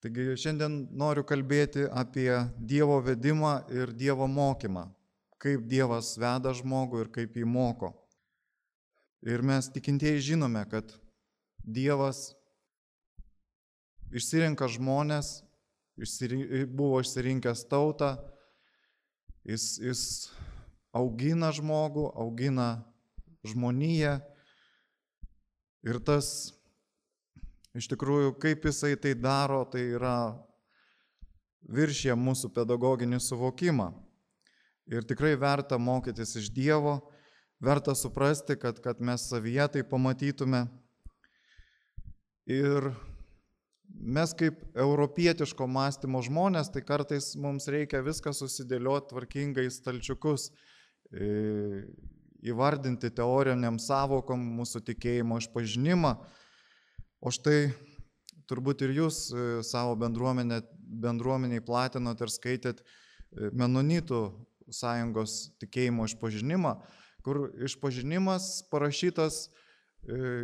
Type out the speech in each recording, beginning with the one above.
Taigi šiandien noriu kalbėti apie Dievo vedimą ir Dievo mokymą, kaip Dievas veda žmogų ir kaip jį moko. Ir mes tikintieji žinome, kad Dievas išsirenka žmonės, buvo išsirinkęs tautą, jis augina žmogų, augina žmoniją ir tas iš tikrųjų, kaip jisai tai daro, tai yra viršė mūsų pedagoginį suvokimą. Ir tikrai verta mokytis iš Dievo, verta suprasti, kad mes savyje tai pamatytume. Ir mes kaip europietiško mąstymo žmonės, tai kartais mums reikia viską susidėlioti tvarkingai stalčiukus, įvardinti teoriniam savokom mūsų tikėjimo išpažinimą. O štai turbūt ir jūs savo bendruomeniai platinot ir skaitėt Menonitų sąjungos tikėjimo išpažinimą, kur išpažinimas parašytas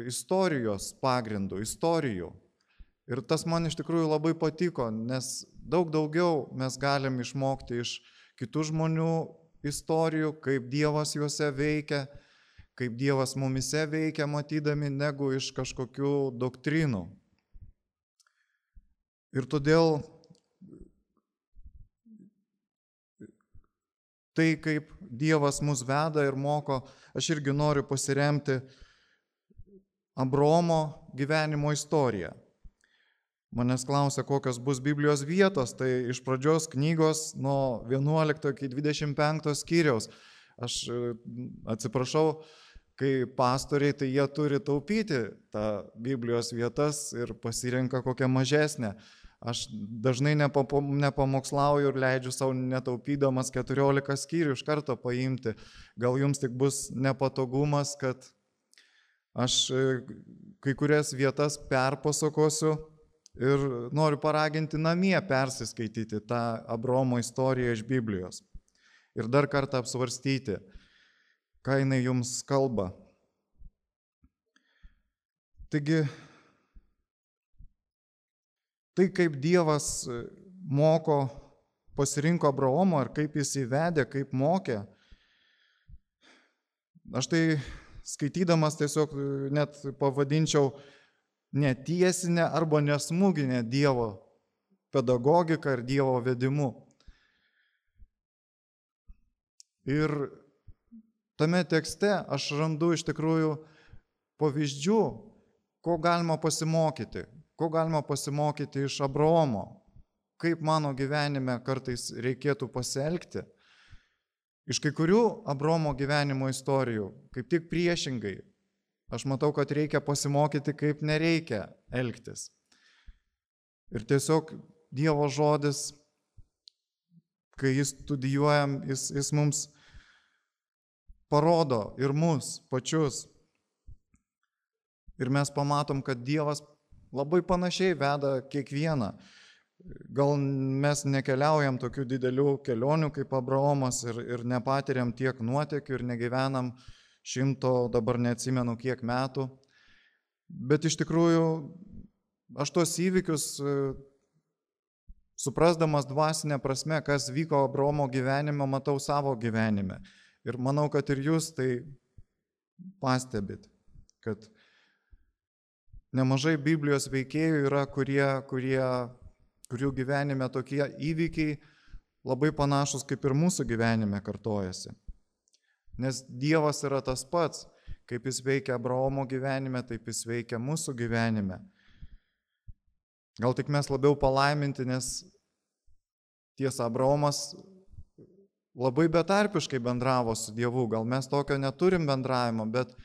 istorijos pagrindų, istorijų. Ir tas man iš tikrųjų labai patiko, nes daug daugiau mes galim išmokti iš kitų žmonių istorijų, kaip Dievas juose veikia, kaip Dievas mumise veikia matydami, negu iš kažkokių doktrinų. Ir todėl tai, kaip Dievas mus veda ir moko, aš irgi noriu pasiremti Abraomo gyvenimo istoriją. Manęs klausia, kokios bus Biblijos vietos, tai iš pradžios knygos nuo 11 iki 25 skyriaus. Aš atsiprašau, kai pastoriai, tai jie turi taupyti tą Biblijos vietas ir pasirenka kokią mažesnę. Aš dažnai nepamokslauju ir leidžiu savo netaupydamas 14 skyrių iš karto paimti. Gal jums tik bus nepatogumas, kad aš kai kurias vietas perpasakosiu ir noriu paraginti namie persiskaityti tą Abraomo istoriją iš Biblijos. Ir dar kartą apsvarstyti, ką jinai jums kalba. Taigi, tai kaip Dievas moko, pasirinko Abraomą ir kaip jis įvedė, kaip mokė, aš tai skaitydamas tiesiog net pavadinčiau netiesinę arba nesmūginę Dievo pedagogiką ir Dievo vedimu. Ir tame tekste aš randu iš tikrųjų pavyzdžių, ko galima pasimokyti iš Abraomo, kaip mano gyvenime kartais reikėtų pasielgti. Iš kai kurių Abraomo gyvenimo istorijų, kaip tik priešingai, aš matau, kad reikia pasimokyti, kaip nereikia elgtis. Ir tiesiog Dievo žodis, kai jis studijuojam, jis mums parodo ir mus pačius. Ir mes pamatom, kad Dievas labai panašiai veda kiekvieną. Gal mes nekeliaujam tokių didelių kelionių kaip Abraomas ir nepatiriam tiek nuotykių ir negyvenam 100, dabar neatsimenu kiek metų. Bet iš tikrųjų aš tos įvykius, suprasdamas dvasinę prasme, kas vyko Abraomo gyvenime, matau savo gyvenime. Ir manau, kad ir jūs tai pastebit, kad nemažai Biblijos veikėjų yra, kurių gyvenime tokie įvykiai labai panašus kaip ir mūsų gyvenime kartojasi. Nes Dievas yra tas pats, kaip jis veikia Abraomo gyvenime, taip jis veikia mūsų gyvenime. Gal tik mes labiau palaiminti, nes tiesa, Abraomas labai betarpiškai bendravo su Dievu, gal mes tokio neturim bendravimo, bet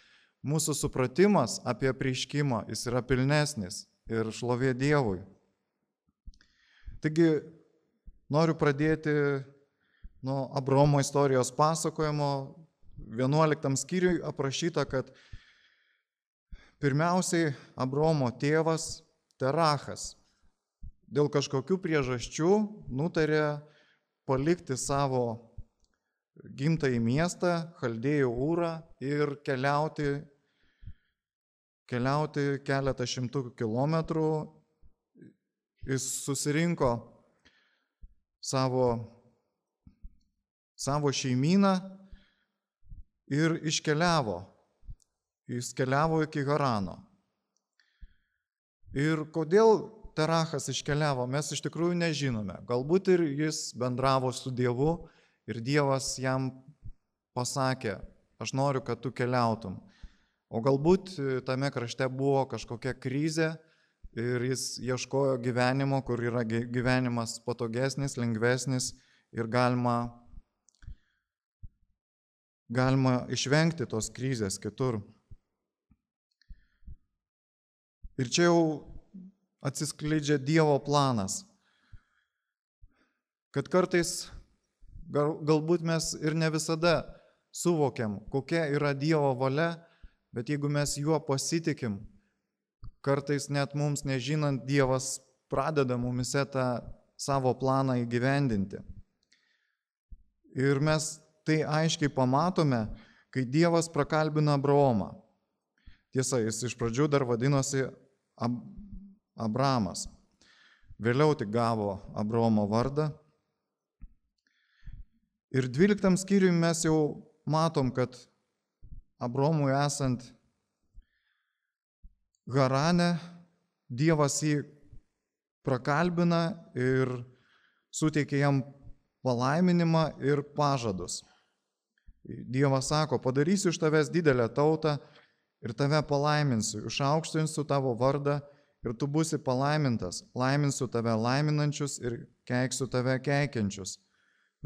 mūsų supratimas apie apreiškimą, jis yra pilnesnis ir šlovė Dievui. Taigi, noriu pradėti nuo Abraomo istorijos pasakojimo. 11 skyriui aprašyta, kad pirmiausiai Abraomo tėvas Terachas dėl kažkokių priežasčių nutarė palikti savo gimtąjį miestą, Chaldėjų Ūrą ir keliauti keletą šimtų kilometrų Jis susirinko savo šeimyną ir iškeliavo. Jis keliavo iki Harano. Ir kodėl Terachas iškeliavo, mes iš tikrųjų nežinome. Galbūt ir jis bendravo su Dievu ir Dievas jam pasakė, aš noriu, kad tu keliautum. O galbūt tame krašte buvo kažkokia krizė ir jis ieškojo gyvenimo, kur yra gyvenimas patogesnis, lengvesnis ir galima išvengti tos krizės kitur. Ir čia jau atsiskleidžia Dievo planas, kad kartais galbūt mes ir ne visada suvokiam, kokia yra Dievo valia, bet jeigu mes juo pasitikim, kartais net mums nežinant, Dievas pradeda mumise tą savo planą įgyvendinti. Ir mes tai aiškiai pamatome, kai Dievas prakalbina Abraomą. Tiesa, jis iš pradžių dar vadinosi Abramas. Vėliau tik gavo Abraomo vardą. Ir 12 skyriui mes jau matom, kad Abraomui esant Harane, Dievas jį prakalbina ir suteikia jam palaiminimą ir pažadus. Dievas sako, padarysiu iš tavęs didelę tautą ir tave palaiminsiu, išaukštinsiu tavo vardą ir tu būsi palaimintas, laiminsiu tave laiminančius ir keiksiu tave keikiančius.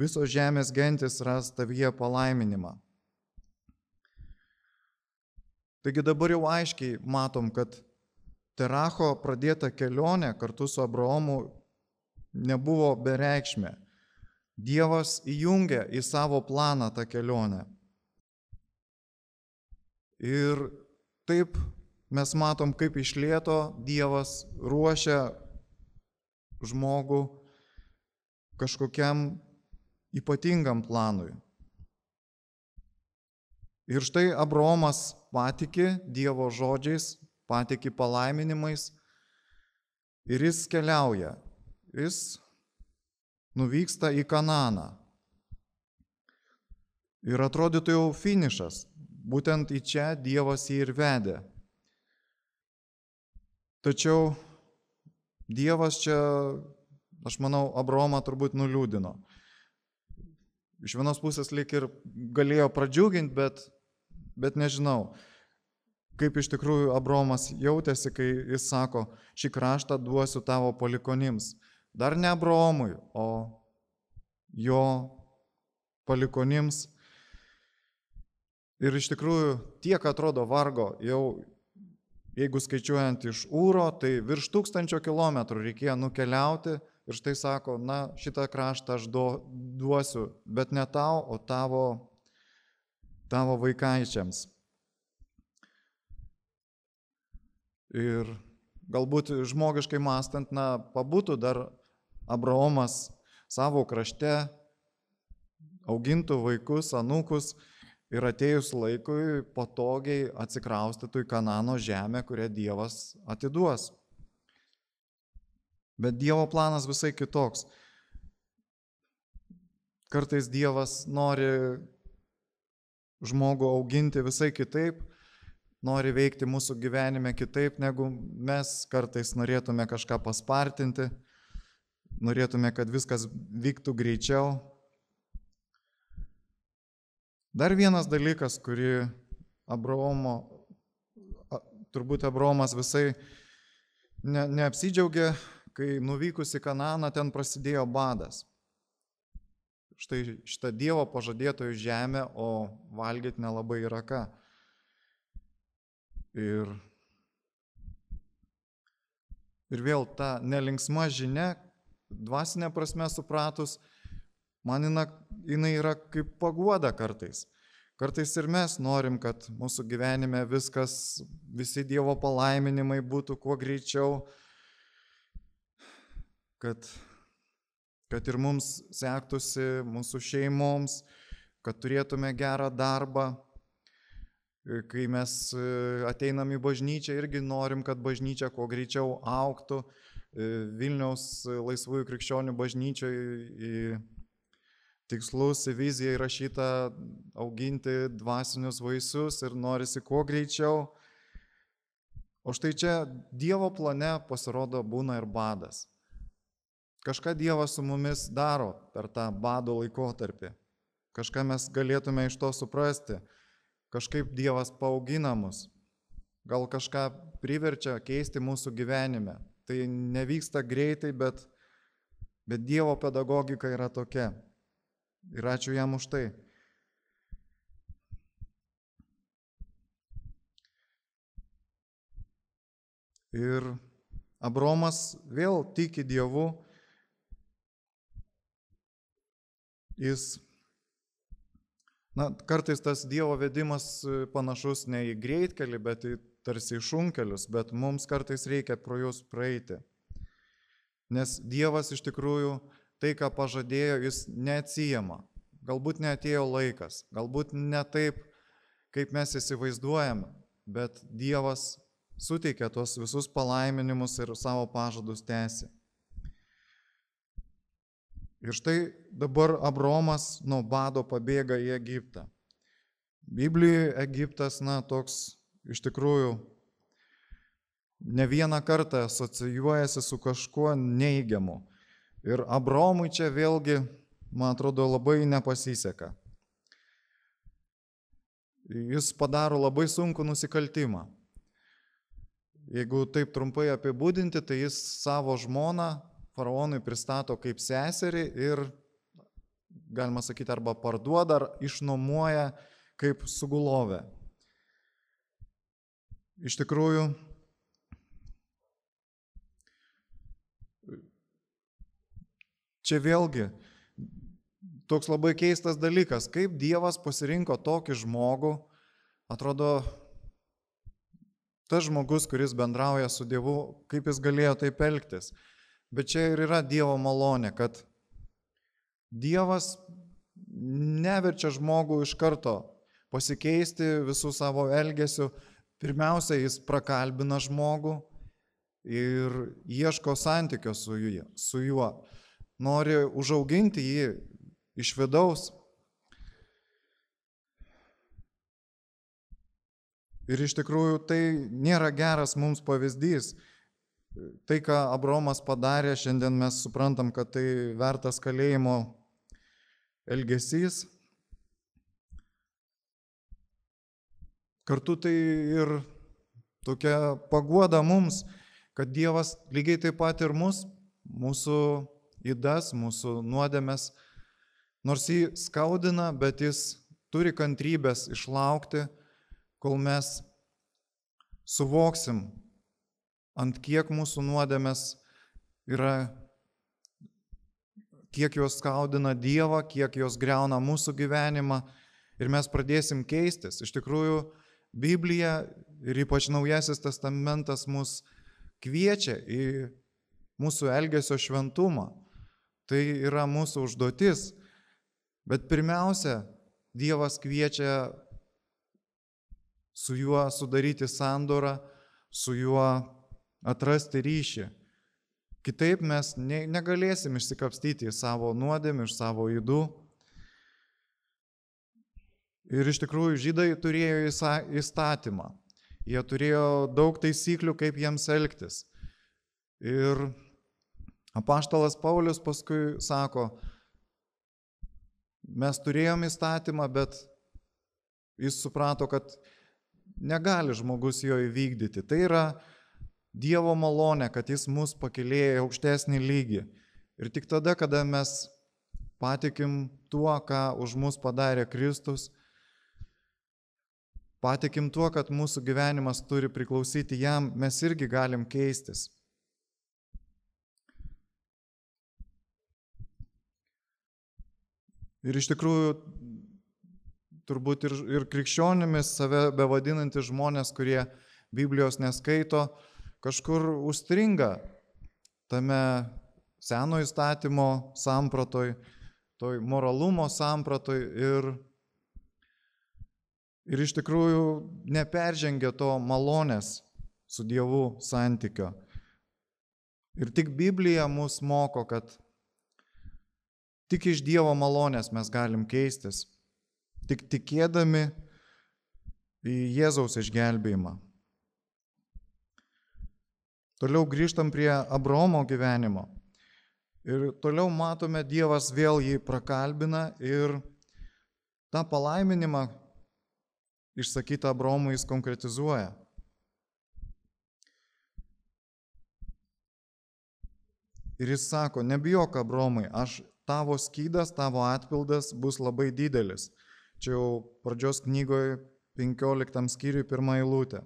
Visos žemės gentis ras tavyje palaiminimą. Taigi dabar jau aiškiai matom, kad Teracho pradėta kelionė kartu su Abraomu nebuvo bereikšmė. Dievas įjungia į savo planą tą kelionę. Ir taip mes matom, kaip iš lėto Dievas ruošia žmogų kažkokiam ypatingam planui. Ir štai Abraomas patiki Dievo žodžiais, patiki palaiminimais ir jis keliauja. Jis nuvyksta į Kananą. Ir atrodytų jau finišas. Būtent į čia Dievas jį ir vedė. Tačiau Dievas čia, aš manau, Abraomą turbūt nuliūdino. Iš vienos pusės lyg ir galėjo pradžiuginti, bet nežinau, kaip iš tikrųjų Abraomas jautėsi, kai jis sako, šį kraštą duosiu tavo palikonims. Dar ne Abraomui, o jo palikonims. Ir iš tikrųjų tiek atrodo vargo, jau jeigu skaičiuojant iš Ūro, tai virš 1000 kilometrų reikėjo nukeliauti ir štai sako, na, šitą kraštą aš duosiu, bet ne tau, o tavo vaikaičiams. Ir galbūt žmogiškai mąstant, na, pabūtų dar Abraomas savo krašte, augintų vaikus, anūkus ir atėjus laikui patogiai atsikraustytų į Kanano žemę, kurią Dievas atiduos. Bet Dievo planas visai kitoks. Kartais Dievas nori žmogų auginti visai kitaip, nori veikti mūsų gyvenime kitaip, negu mes kartais norėtume kažką paspartinti, norėtume, kad viskas vyktų greičiau. Dar vienas dalykas, kurį turbūt Abraomas visai neapsidžiaugė, kai nuvykus į Kananą ten prasidėjo badas. Štai šitą Dievo pažadėtojų žemę, o valgyti nelabai yra ką. Ir vėl ta nelinksma žinia, dvasinė prasme supratus, man jinai yra kaip paguoda kartais. Kartais ir mes norim, kad mūsų gyvenime visi Dievo palaiminimai būtų kuo greičiau, kad ir mums sektųsi, mūsų šeimoms, kad turėtume gerą darbą. Kai mes ateinam į bažnyčią, irgi norim, kad bažnyčia kuo greičiau augtų, Vilniaus laisvųjų krikščionių bažnyčioje į tikslus, į viziją įrašyta auginti dvasinius vaisius ir norisi kuo greičiau. O štai čia Dievo plane pasirodo būna ir badas. Kažką Dievas su mumis daro per tą bado laikotarpį. Kažką mes galėtume iš to suprasti. Kažkaip Dievas paaugina mus. Gal kažką priverčia keisti mūsų gyvenime. Tai nevyksta greitai, bet Dievo pedagogika yra tokia. Ir ačiū jam už tai. Ir Abromas vėl tiki Dievu. Kartais tas Dievo vedimas panašus ne į greitkelį, bet tarsi į šunkelius, bet mums kartais reikia pro juos praeiti. Nes Dievas iš tikrųjų tai, ką pažadėjo, jis neatsijama. Galbūt neatėjo laikas, galbūt ne taip, kaip mes įsivaizduojame, bet Dievas suteikia tuos visus palaiminimus ir savo pažadus tęsi. Ir štai dabar Abromas nuo bado pabėga į Egiptą. Biblijoje Egiptas, toks iš tikrųjų ne vieną kartą asocijuojasi su kažkuo neigiamu. Ir Abromui čia vėlgi, man atrodo, labai nepasiseka. Jis padaro labai sunkų nusikaltimą. Jeigu taip trumpai apibūdinti, tai jis savo žmoną faraonui pristato kaip seserį ir, galima sakyti, arba parduoda, ar išnuomoja kaip sugulovę. Iš tikrųjų, čia vėlgi toks labai keistas dalykas, kaip Dievas pasirinko tokį žmogų, atrodo, tas žmogus, kuris bendrauja su Dievu, kaip jis galėjo taip elgtis. Bet čia ir yra Dievo malonė, kad Dievas neverčia žmogų iš karto pasikeisti visų savo elgesių. Pirmiausia, jis prakalbina žmogų ir ieško santykio su juo. Nori užauginti jį iš vidaus. Ir iš tikrųjų tai nėra geras mums pavyzdys. Tai, ką Abromas padarė, šiandien mes suprantam, kad tai vertas kalėjimo elgesys. Kartu tai ir tokia paguoda mums, kad Dievas lygiai taip pat ir mūsų ydas, mūsų nuodėmes, nors jį skaudina, bet jis turi kantrybės išlaukti, kol mes suvoksim, ant kiek mūsų nuodėmės yra, kiek jos skaudina Dievą, kiek jos griauna mūsų gyvenimą ir mes pradėsim keistis. Iš tikrųjų, Biblija ir ypač Naujasis testamentas mus kviečia į mūsų elgesio šventumą. Tai yra mūsų užduotis. Bet pirmiausia, Dievas kviečia su juo sudaryti sandorą, su juo atrasti ryšį. Kitaip mes negalėsim išsikapstyti į savo nuodėmę, iš savo ydų. Ir iš tikrųjų žydai turėjo įstatymą. Jie turėjo daug taisyklių, kaip jiems elgtis. Ir apaštalas Paulius paskui sako, mes turėjom įstatymą, bet jis suprato, kad negali žmogus jo įvykdyti. Tai yra Dievo malonė, kad jis mus pakėlė į aukštesnį lygį. Ir tik tada, kada mes patikim tuo, ką už mus padarė Kristus, patikim tuo, kad mūsų gyvenimas turi priklausyti jam, mes irgi galim keistis. Ir iš tikrųjų, turbūt ir krikščionimis save bevadinantys žmonės, kurie Biblijos neskaito, kažkur užstringa tame seno įstatymo sampratoj, toj moralumo sampratoj ir iš tikrųjų neperžengia to malonės su Dievu santykio. Ir tik Biblija mus moko, kad tik iš Dievo malonės mes galim keistis, tik tikėdami į Jėzaus išgelbėjimą. Toliau grįžtam prie Abraomo gyvenimo. Ir toliau matome, Dievas vėl jį prakalbina ir tą palaiminimą išsakytą Abraomui jis konkretizuoja. Ir jis sako, nebijok Abraomai, tavo skydas, tavo atpildas bus labai didelis. Čia jau pradžios knygoje 15 skyriui 1 eilutė.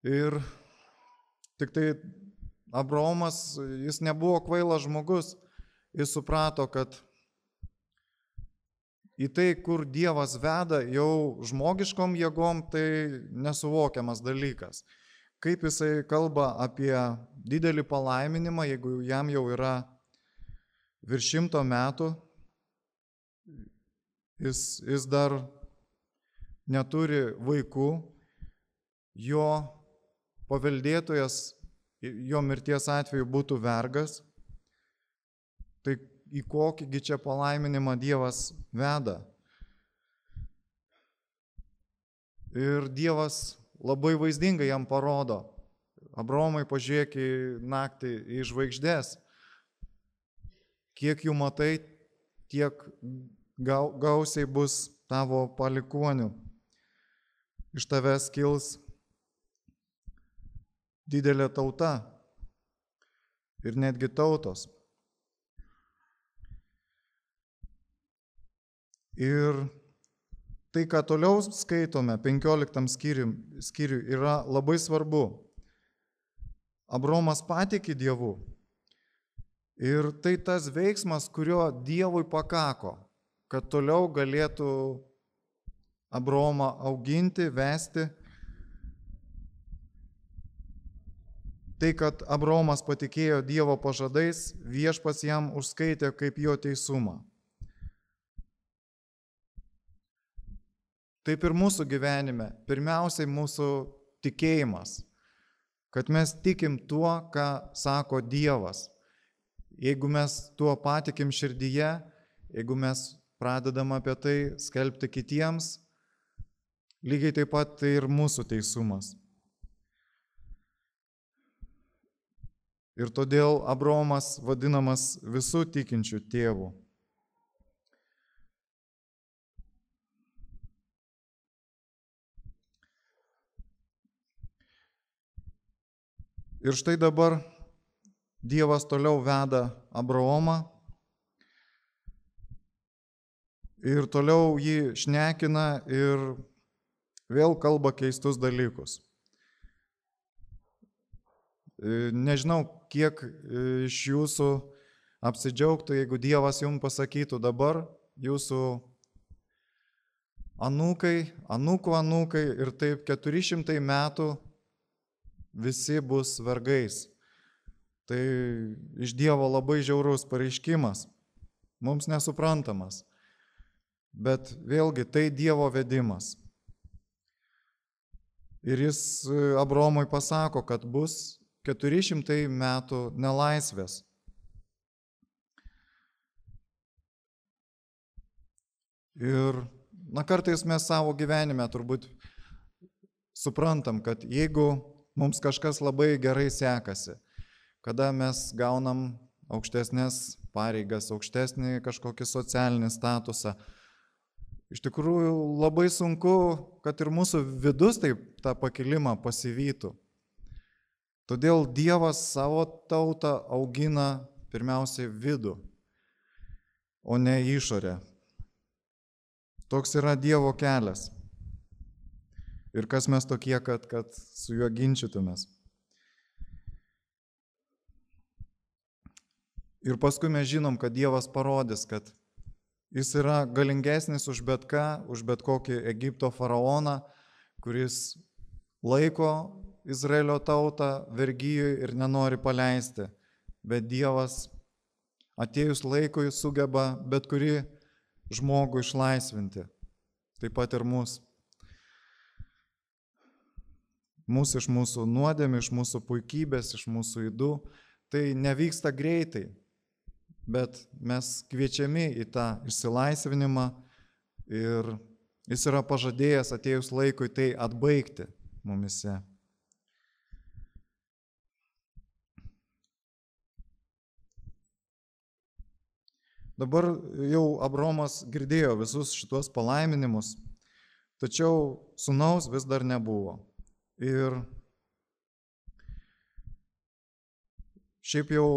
Ir tik tai Abraomas, jis nebuvo kvailas žmogus, jis suprato, kad į tai, kur Dievas veda, jau žmogiškom jėgom, tai nesuvokiamas dalykas. Kaip jisai kalba apie didelį palaiminimą, jeigu jam jau yra virš 100 metų, jis dar neturi vaikų, jo paveldėtojas jo mirties atveju būtų vergas, tai į kokįgi čia palaiminimą Dievas veda. Ir Dievas labai vaizdingai jam parodo. Abraomai, pažiūrėk į naktį į žvaigždės. Kiek jų matai, tiek gausiai bus tavo palikuonių. Iš tavęs kils didelė tauta ir netgi tautos. Ir tai, ką toliau skaitome 15 skyriui, yra labai svarbu. Abraomas patiki Dievu. Ir tai tas veiksmas, kurio Dievui pakako, kad toliau galėtų Abraomą auginti, vesti. Tai, kad Abraomas patikėjo Dievo pažadais, Viešpats jam užskaitė kaip jo teisumą. Taip ir mūsų gyvenime, pirmiausiai mūsų tikėjimas, kad mes tikim tuo, ką sako Dievas. Jeigu mes tuo patikim širdyje, jeigu mes pradedam apie tai skelbti kitiems, lygiai taip pat tai ir mūsų teisumas. Ir todėl Abraomas vadinamas visų tikinčių tėvų. Ir štai dabar Dievas toliau veda Abraomą ir toliau jį šnekina ir vėl kalba keistus dalykus. Nežinau, kiek iš jūsų apsidžiaugtų, jeigu Dievas jums pasakytų dabar, jūsų anūkai, anūkų anūkai ir taip 400 metų visi bus vergais. Tai iš Dievo labai žiaurus pareiškimas, mums nesuprantamas, bet vėlgi tai Dievo vedimas. Ir jis Abraomui pasako, kad bus 400 metų nelaisvės. Ir kartais mes savo gyvenime turbūt suprantam, kad jeigu mums kažkas labai gerai sekasi, kada mes gaunam aukštesnės pareigas, aukštesnį kažkokį socialinį statusą, iš tikrųjų labai sunku, kad ir mūsų vidus taip tą pakilimą pasivytų. Todėl Dievas savo tautą augina pirmiausiai vidų, o ne išorę. Toks yra Dievo kelias. Ir kas mes tokie, kad su juo ginčytumės. Ir paskui mes žinom, kad Dievas parodys, kad jis yra galingesnis už bet ką, už bet kokį Egipto faraoną, kuris laiko Izraelio tautą vergyjui ir nenori paleisti. Bet Dievas atėjus laikui sugeba bet kurį žmogų išlaisvinti. Taip pat ir mus. mus iš mūsų nuodėmių, iš mūsų puikybės, iš mūsų ydų. Tai nevyksta greitai, bet mes kviečiami į tą išsilaisvinimą ir jis yra pažadėjęs atėjus laikui tai atbaigti mumise. Dabar jau Abraomas girdėjo visus šitos palaiminimus, tačiau sūnaus vis dar nebuvo. Ir šiaip jau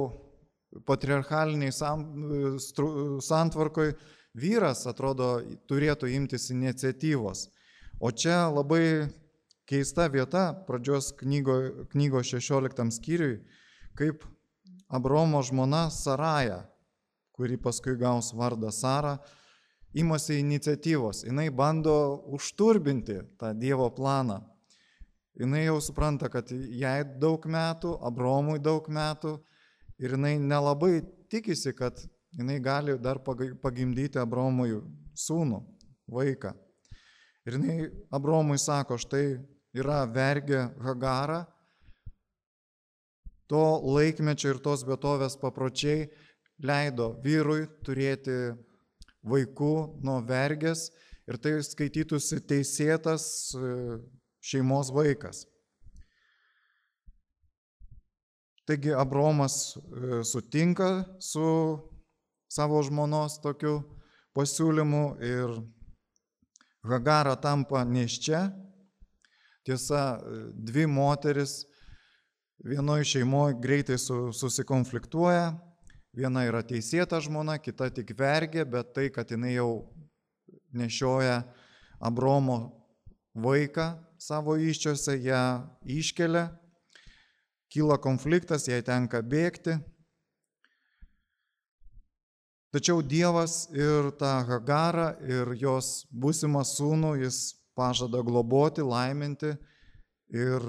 patriarchaliniai santvarkoj vyras, atrodo, turėtų imtis iniciatyvos. O čia labai keista vieta pradžios knygos 16 skyriui, kaip Abraomo žmona Saraja, kuri paskui gaus vardą Sara, imasi iniciatyvos. Jis bando užturbinti tą Dievo planą. Jis jau supranta, kad jai daug metų, Abraomui daug metų ir jis nelabai tikisi, kad jis gali dar pagimdyti Abraomui sūnų, vaiką. Ir Abraomui sako, štai yra vergė Hagara, to laikmečio ir tos vietovės papročiai leido vyrui turėti vaikų nuo vergės ir tai skaitytųsi teisėtas šeimos vaikas. Taigi Abraomas sutinka su savo žmonos tokiu pasiūlymu ir Hagara tampa nėščia. Tiesa, dvi moteris vienoje šeimoje greitai susikonfliktuoja. Viena yra teisėta žmona, kita tik vergė, bet tai, kad jinai jau nešioja Abraomo vaiką savo įsčiose, ją iškelia, kyla konfliktas, jai tenka bėgti. Tačiau Dievas ir tą Hagarą ir jos būsimą sūnų jis pažada globoti, laiminti ir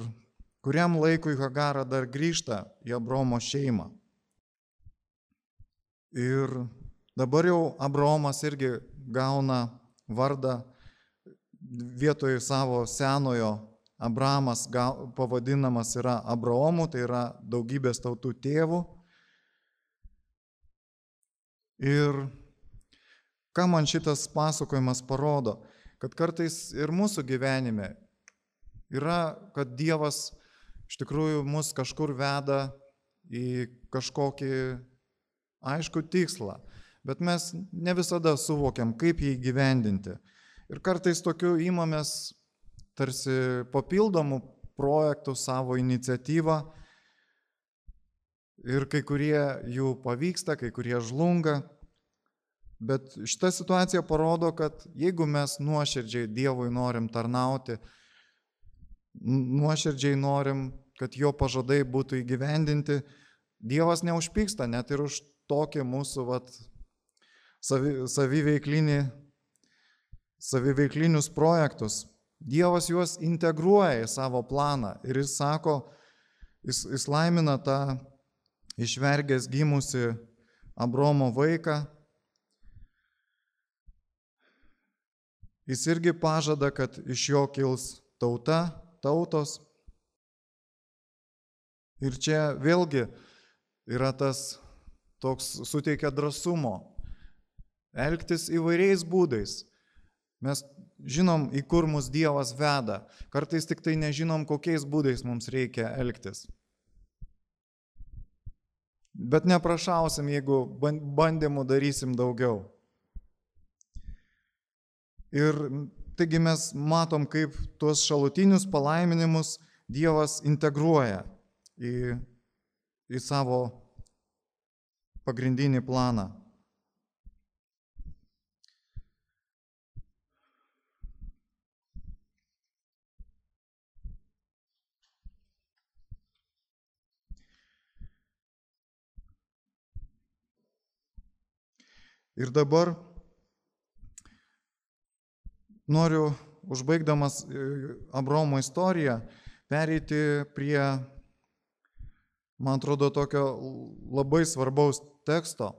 kuriam laikui Hagara dar grįžta į Abraomo šeimą. Ir dabar jau Abraomas irgi gauna vardą vietoj savo senojo Abramas pavadinamas yra Abraomu, tai yra daugybės tautų tėvų. Ir ką man šitas pasakojimas parodo, kad kartais ir mūsų gyvenime yra, kad Dievas iš tikrųjų mus kažkur veda į kažkokį aišku tikslą, bet mes ne visada suvokiam, kaip jį įgyvendinti. Ir kartais tokiu imamės tarsi papildomų projektų savo iniciatyvą ir kai kurie jų pavyksta, kai kurie žlunga. Bet šita situacija parodo, kad jeigu mes nuoširdžiai Dievui norim tarnauti, nuoširdžiai norim, kad jo pažadai būtų įgyvendinti, Dievas neužpyksta net ir už tokį mūsų saviveiklinius projektus. Dievas juos integruoja į savo planą ir jis sako, jis laimina tą iš vergės gimusi Abraomo vaiką. Jis irgi pažada, kad iš jo kils tautos. Ir čia vėlgi yra tas toks suteikia drąsumo elgtis įvairiais būdais. Mes žinom, į kur mus Dievas veda. Kartais tik tai nežinom, kokiais būdais mums reikia elgtis. Bet neprašausim, jeigu bandymų darysim daugiau. Ir taigi mes matom, kaip tuos šalutinius palaiminimus Dievas integruoja į savo pagrindinį planą. Ir dabar noriu, užbaigdamas Abraomo istoriją, pereiti prie, man atrodo, tokio labai svarbaus teksto.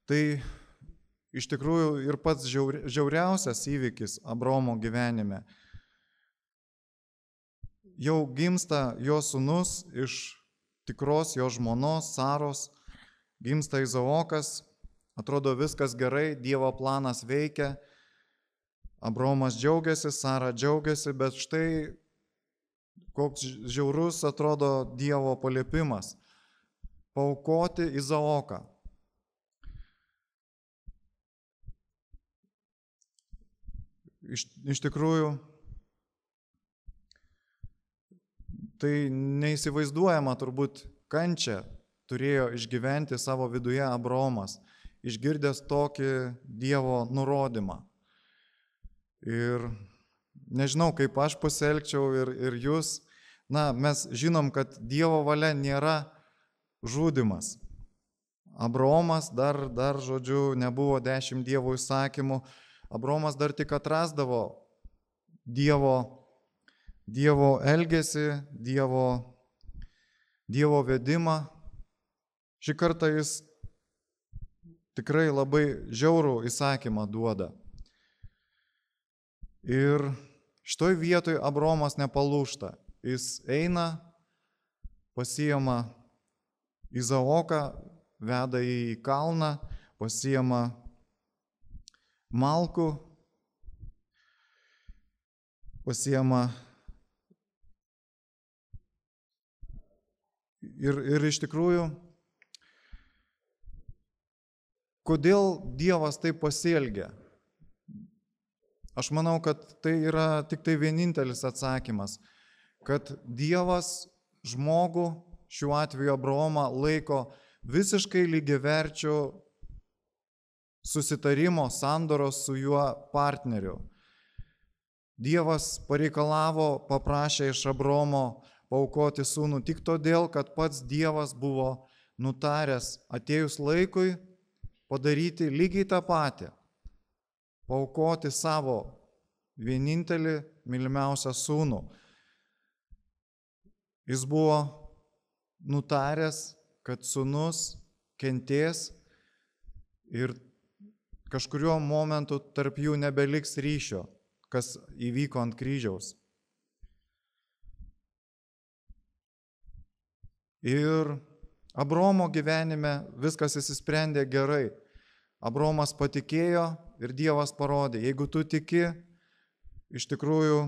Tai iš tikrųjų ir pats žiauriausias įvykis Abraomo gyvenime. jau gimsta jo sūnus iš tikros jo žmonos Saros, gimsta Izaokas, atrodo viskas gerai, Dievo planas veikia, Abraomas džiaugiasi, Sara džiaugiasi, bet štai koks žiaurus atrodo Dievo paliepimas - paaukoti Izaoką. Iš tikrųjų, tai neįsivaizduojama turbūt kančia turėjo išgyventi savo viduje Abraomas, išgirdęs tokį Dievo nurodymą. Ir nežinau, kaip aš pasielgčiau ir jūs, mes žinom, kad Dievo valia nėra žudymas. Abraomas dar, žodžiu, nebuvo 10 Dievo įsakymų, Abraomas dar tik atrasdavo Dievo elgesį, Dievo vedimą. Šį kartą jis tikrai labai žiaurų įsakymą duoda. Ir šitoj vietoj Abraomas nepalūžta. Jis eina, pasiima Izaoką, veda į kalną, pasiima malkų, pasiima ir iš tikrųjų, kodėl Dievas taip pasielgia? Aš manau, kad tai yra tik tai vienintelis atsakymas, kad Dievas žmogų, šiuo atveju Abraomą, laiko visiškai lygiaverčių susitarimo, sandoros su juo partneriu. Dievas pareikalavo, paprašė iš Abraomo paaukoti sūnų tik todėl, kad pats Dievas buvo nutaręs atėjus laikui padaryti lygiai tą patį, paaukoti savo vienintelį mylimiausią sūnų. Jis buvo nutaręs, kad sūnus kentės ir kažkuriuo momentu tarp jų nebeliks ryšio, kas įvyko ant kryžiaus. Ir Abraomo gyvenime viskas įsisprendė gerai. Abraomas patikėjo ir Dievas parodė, jeigu tu tiki, iš tikrųjų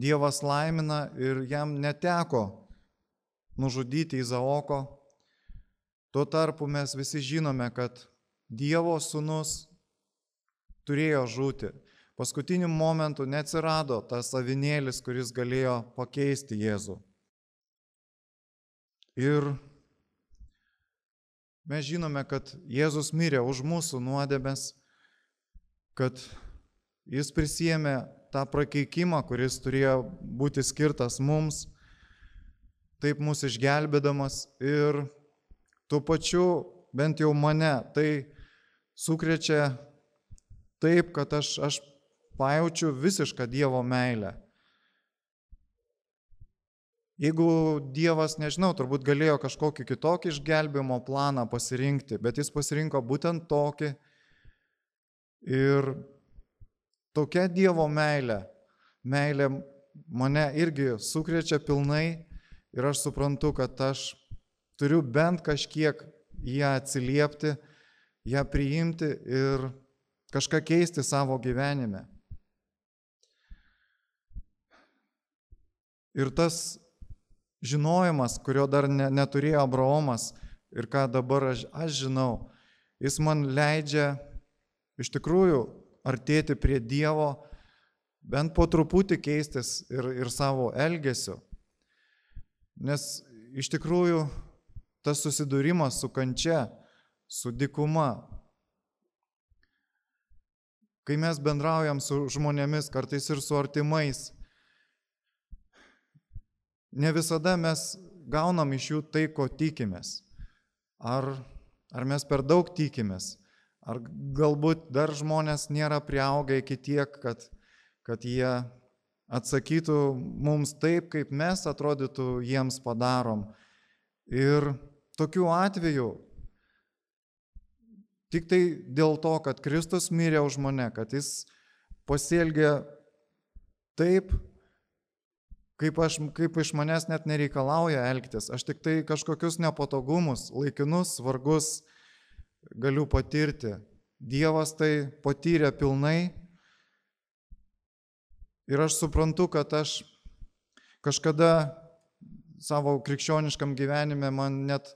Dievas laimina ir jam neteko nužudyti Izaoko. Tuo tarpu mes visi žinome, kad Dievo sūnus turėjo žūti. Paskutiniu momentu neatsirado tas avinėlis, kuris galėjo pakeisti Jėzų. Ir mes žinome, kad Jėzus mirė už mūsų nuodėmes, kad jis prisiėmė tą prakeikimą, kuris turėjo būti skirtas mums, taip mus išgelbėdamas ir tuo pačiu, bent jau mane, tai sukrečia taip, kad aš pajaučiu visišką Dievo meilę. Jeigu Dievas, nežinau, turbūt galėjo kažkokį kitokį išgelbėjimo planą pasirinkti, bet jis pasirinko būtent tokį. Ir tokia Dievo meilė mane irgi sukrečia pilnai ir aš suprantu, kad aš turiu bent kažkiek ją atsiliepti, ją priimti ir kažką keisti savo gyvenime. Ir tas žinojimas, kurio dar neturėjo Abraomas ir ką dabar aš žinau, jis man leidžia iš tikrųjų artėti prie Dievo, bent po truputį keistis ir savo elgesiu. Nes iš tikrųjų tas susidūrimas su kančia, su dykuma, kai mes bendraujam su žmonėmis, kartais ir su artimais, ne visada mes gaunam iš jų tai, ko tikimės. Ar mes per daug tikimės, ar galbūt dar žmonės nėra priaugę iki tiek, kad jie atsakytų mums taip, kaip mes atrodytų jiems padarom. Ir tokiu atveju, tik tai dėl to, kad Kristus mirė už mane, kad jis pasielgė taip, kaip iš manęs net nereikalauja elgtis. Aš tik tai kažkokius nepatogumus, laikinus vargus galiu patirti. Dievas tai patyrė pilnai ir aš suprantu, kad aš kažkada savo krikščioniškam gyvenime man net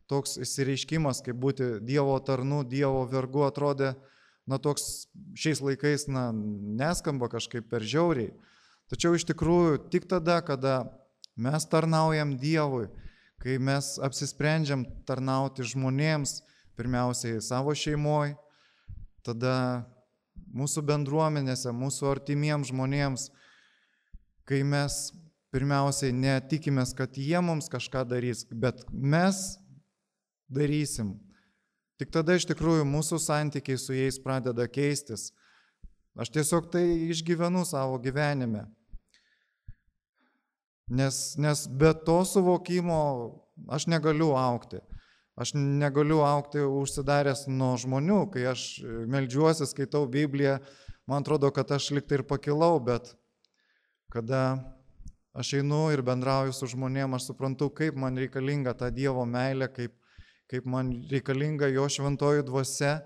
toks įsireiškimas, kaip būti Dievo tarnu, Dievo vergu atrodė, toks šiais laikais, neskamba kažkaip per žiauriai. Tačiau iš tikrųjų tik tada, kada mes tarnaujam Dievui, kai mes apsisprendžiam tarnauti žmonėms, pirmiausiai savo šeimoje, tada mūsų bendruomenėse, mūsų artimiems žmonėms, kai mes pirmiausiai netikimės, kad jie mums kažką darys, bet mes darysim. Tik tada iš tikrųjų mūsų santykiai su jais pradeda keistis. Aš tiesiog tai išgyvenu savo gyvenime. Nes be to suvokimo aš negaliu augti. Aš negaliu augti užsidaręs nuo žmonių. Kai aš meldžiuosi, skaitau Bibliją, man atrodo, kad aš liktai ir pakilau, bet kada aš einu ir bendrauju su žmonėm, aš suprantu, kaip man reikalinga ta Dievo meilė, kaip man reikalinga jo šventoji dvasia,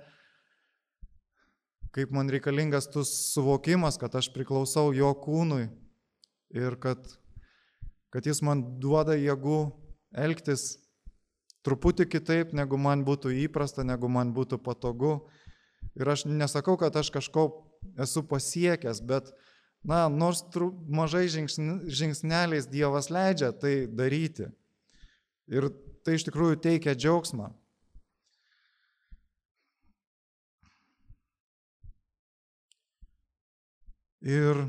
kaip man reikalingas tas suvokimas, kad aš priklausau jo kūnui ir kad jis man duoda jėgų elgtis truputį kitaip, negu man būtų įprasta, negu man būtų patogu. Ir aš nesakau, kad aš kažko esu pasiekęs, bet nors mažai žingsneliais Dievas leidžia tai daryti. Ir tai iš tikrųjų teikia džiaugsmą. Ir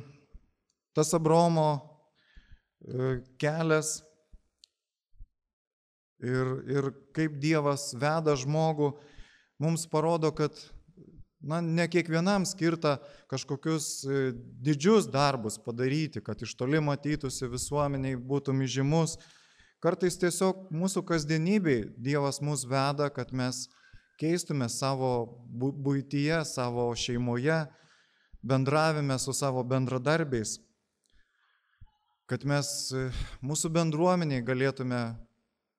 tas Abraomo kelias ir kaip Dievas veda žmogų, mums parodo, kad ne kiekvienam skirta kažkokius didžius darbus padaryti, kad iš toli matytųsi visuomeniai, būtum įžymus. Kartais tiesiog mūsų kasdienybei Dievas mus veda, kad mes keistume savo buityje, savo šeimoje, bendravime su savo bendradarbiais, kad mes mūsų bendruomeniai galėtume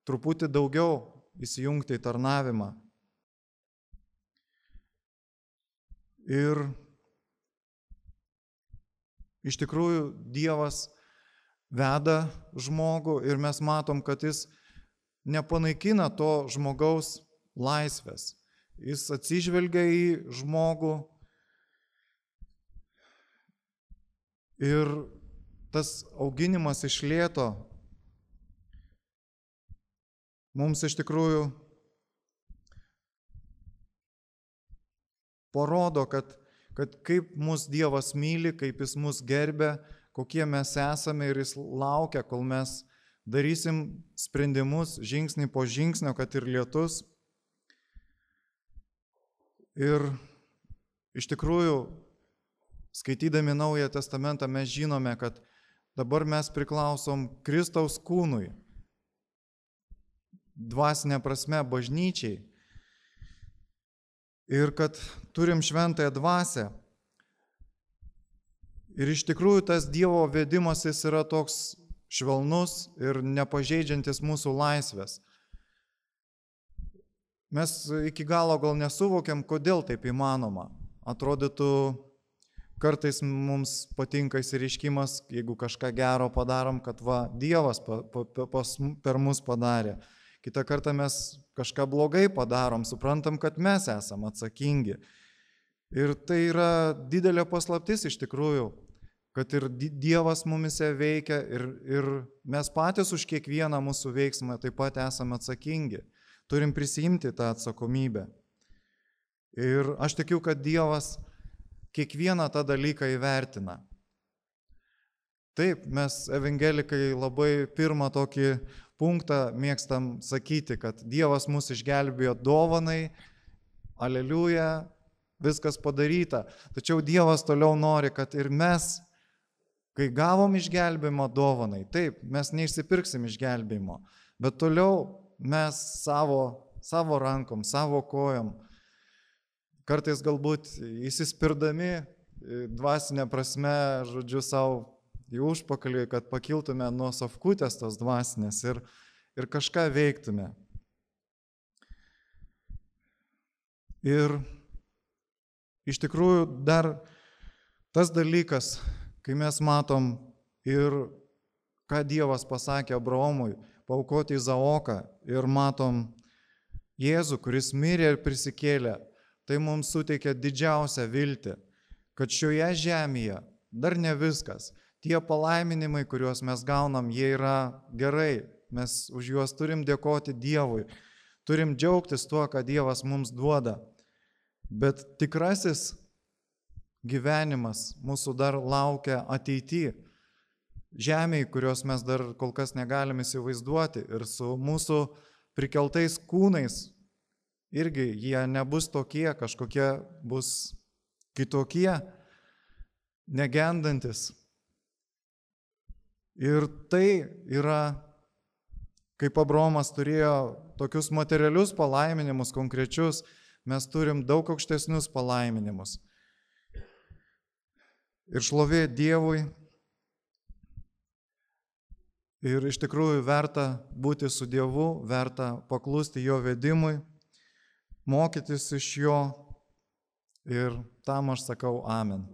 truputį daugiau įsijungti į tarnavimą. Ir iš tikrųjų Dievas veda žmogų ir mes matom, kad jis nepanaikina to žmogaus laisvės. Jis atsižvelgia į žmogų ir tas auginimas iš lėto mums iš tikrųjų parodo, kad kaip mus Dievas myli, kaip jis mus gerbia, kokie mes esame ir jis laukia, kol mes darysim sprendimus žingsnį po žingsnio, kad ir lietus. Ir iš tikrųjų, skaitydami Naują Testamentą, mes žinome, kad dabar mes priklausom Kristaus kūnui, dvasinė prasme bažnyčiai. Ir kad turim šventąją dvasią. Ir iš tikrųjų tas Dievo vedimas jis yra toks švelnus ir nepažeidžiantis mūsų laisvės. Mes iki galo gal nesuvokiam, kodėl taip įmanoma. Atrodytų, kartais mums patinka įsireiškimas, jeigu kažką gero padarom, kad Dievas per mus padarė. Kitą kartą mes kažką blogai padarom, suprantam, kad mes esam atsakingi. Ir tai yra didelė paslaptis iš tikrųjų, kad ir Dievas mumise veikia ir mes patys už kiekvieną mūsų veiksmą taip pat esame atsakingi. Turim prisiimti tą atsakomybę. Ir aš tikiu, kad Dievas kiekvieną tą dalyką įvertina. Taip, mes evangelikai labai pirmą tokį punktą mėgstam sakyti, kad Dievas mus išgelbėjo dovanai, aleliuja, viskas padaryta. Tačiau Dievas toliau nori, kad ir mes, kai gavom išgelbėjimo dovanai, taip, mes neišsipirksim išgelbėjimo, bet toliau mes savo rankom, savo kojom, kartais galbūt įsispirdami dvasinę prasme, žodžiu, savo į užpakalį, kad pakiltume nuo sofkutės tos dvasinės ir kažką veiktume. Ir iš tikrųjų dar tas dalykas, kai mes matom ir ką Dievas pasakė Abraomui, paaukoti Izaoką ir matom Jėzų, kuris mirė ir prisikėlė, tai mums suteikia didžiausią viltį, kad šioje žemėje dar ne viskas. Tie palaiminimai, kuriuos mes gaunam, jie yra gerai, mes už juos turim dėkoti Dievui, turim džiaugtis tuo, ką Dievas mums duoda. Bet tikrasis gyvenimas mūsų dar laukia ateityje, žemėje, kurios mes dar kol kas negalim įsivaizduoti, ir su mūsų prikeltais kūnais irgi jie nebus tokie, kažkokie bus kitokie, negendantis. Ir tai yra, kaip Abraomas turėjo tokius materialius palaiminimus konkrečius, mes turim daug aukštesnius palaiminimus. Ir šlovė Dievui. Ir iš tikrųjų verta būti su Dievu, verta paklusti jo vedimui, mokytis iš jo. Ir tam aš sakau amen.